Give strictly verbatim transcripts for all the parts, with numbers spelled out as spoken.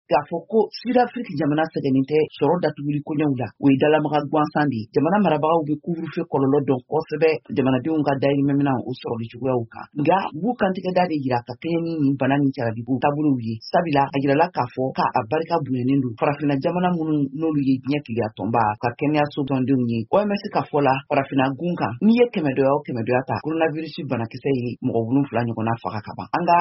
K'a fɔ ko Sud-Afrique jamana sɛgɛnnen tɛ sɔrɔ datuguli koɲɛw la, o ye dalamaga gansan de ye. Jamana marabagaw bɛ couvre-feu kɔlɔlɔ dɔn kosɛbɛ jamanadenw ka dayirimɛminɛw o sɔrɔli cogoyaw kan, nka u b'u kantigɛda de yira ka kɛɲɛ ni nin bana nin caraliko taabolow ye, sabula a yirala k'a fɔ k'a barika bonyanen don farafinna jamana minnu n'olu ye diɲɛ keleya tɔnba ka kɛnɛyaso tɔndenw ye. O M S ka fɔ la, farafinna gun kan, n'i ye kɛmɛdɔya o kɛmɛdɔya ta, coronavirus banakisɛ ye mɔgɔ wolonfila ɲɔgɔnna faga ka ban. An ka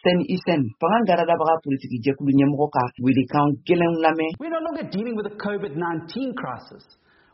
Sɛni Isɛn fanga garadabaga politiki jɛkulu ɲɛmɔgɔ ka welekan gɛlɛnw lamɛn. We're no longer dealing with a COVID nineteen crisis.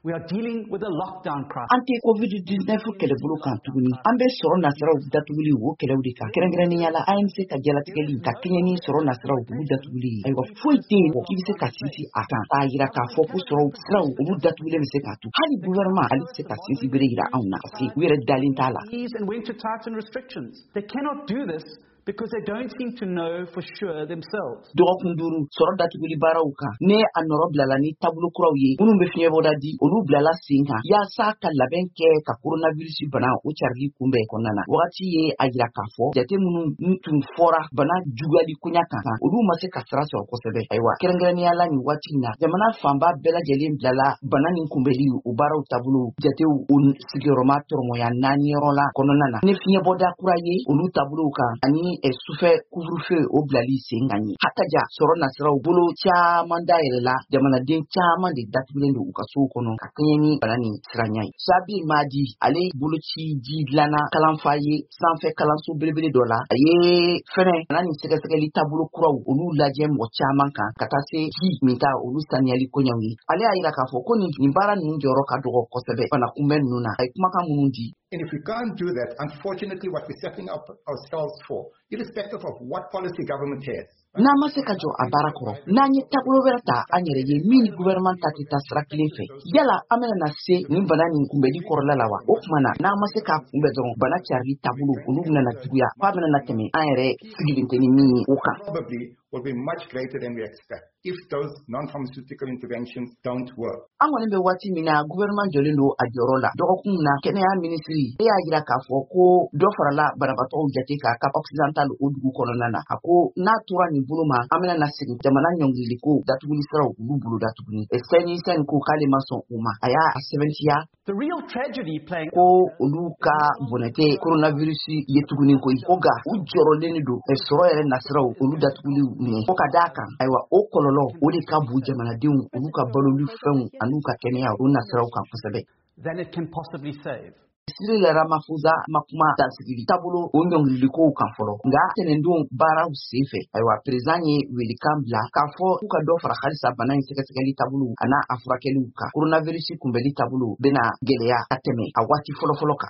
We are dealing with a lockdown crisis. An tɛ COVID nineteen kɛlɛbolo kan tuguni, an bɛ sɔrɔ nasiraw datuguli o kɛlɛw de kan, kɛrɛnkɛrɛnnenya la A N C ka jalatigɛli ka kɛɲɛ ni sɔrɔ nasiraw olu datuguli ye. Ayiwa, foyi tɛ yen k'i bɛ se ka sinsin a kan k'a yira k'a fɔ ko sɔrɔ siraw olu datugulen bɛ se k'a to hali gouvernement ale tɛ se ka sinsin bere yira anw na, parce que u yɛrɛ dalen t'a la. And when to tighten restrictions. They cannot do this because they don't seem to know for sure themselves. Dɔgɔkun duuru sɔrɔ datuguli baaraw kan, ne a nɔrɔ bilala ni taabolo kuraw ye minnu bɛ fiɲɛbɔda di, olu bilala sen kan yaasa ka labɛn kɛ ka coronavirus bana o carili kunbɛn kɔnɔna na. Wagati ye a yira k'a fɔ jate minnu tun fɔra bana juguyali koɲa kan, olu ma se ka sira sɔrɔ kosɛbɛ. Ayiwa, kɛrɛnkɛrɛnnenya la, nin waati in na, jamana fanba bɛɛ lajɛlen bilala bana nin kunbɛli o baaraw taabolo jatew o sigiyɔrɔma tɔrɔmɔya naani yɔrɔ la kɔnɔna na, ni fiɲɛbɔda kura ye olu taabolow kan ani sufɛ couvre-feu o bilali sen kan ye. Hataja sɔrɔ nasiraw bolo caman dayɛlɛla, jamanaden caman de datugulen don u ka sow kɔnɔ ka kɛɲɛ ni bana nin siranya ye. Sabi Madi, ale boloci ji dilanna kalanfa ye sanfɛ kalanso belebele dɔ la, a ye fɛnɛ bana nin sɛgɛsɛgɛli taabolo kuraw olu lajɛ mɔgɔ caman kan ka taa se ji min ta olu saniyali koɲɛw ye. Ale y'a yira k'a fɔ ko nin nin baara ninnu jɔyɔrɔ ka dɔgɔ kosɛbɛ bana kunbɛn ninnu na. A ye kumakan minnu di. And if we can't do that, unfortunately, what we're setting up ourselves for, irrespective of what policy government has, N'an ma se ka jɔ a baara kɔrɔ, n'an ye taabolo wɛrɛ ta an yɛrɛ ye min ni gouvernement ta tɛ taa sira kelen fɛ, yala an bɛna na se nin bana nin kunbɛli kɔrɔla la wa? O tuma na, n'an ma se k'a kunbɛ dɔrɔn, bana carili taabolo olu bɛna na juguya f'a bɛna na tɛmɛ an yɛrɛ sigilen tɛ ni min ye o kan. probably will be much greater than we expect if those non-pharmaceutical interventions don't work. An kɔni bɛ waati min na, gouvernement jɔlen don a jɔyɔrɔ la. Dɔgɔkun na, kɛnɛya minisiri e y'a yira k'a fɔ ko dɔ farala banabaatɔw jate kan Cap Occidental o dugu kɔnɔna na. A ko n'a tora nin bolo ma, an bɛna na segin jamana ɲɔngiriliko datuguli siraw olu boloda tuguni. Sɛni Sɛni ko k'ale ma sɔn o ma, a y'a sɛbɛntiya The real tragedy playing ko olu ka bɔnɛ tɛ coronavirus ye tuguni koyi, ko nka u jɔrɔlen de don sɔrɔ yɛrɛ nasiraw olu datuguliw ɲɛ, ko ka d'a kan, ayiwa, o kɔlɔlɔ o de ka bon jamanadenw olu ka baloli fɛnw an'u ka kɛnɛya o nasiraw kan kosɛbɛ. than it can possibly save. Cyril Ramaphosa ma kuma dansigili taabolo o ɲɔngililikow kan fɔlɔ, nka tɛnɛndon baaraw sen fɛ, ayiwa, président ye welekan bila k'a fɔ k'u ka dɔ fara halisa bana in sɛgɛsɛgɛli taabolo a n'a a furakɛliw kan. Coronavirus kunbɛli taabolo bena gwɛlɛya ka tɛmɛ a waati fɔlɔfɔlɔ kan.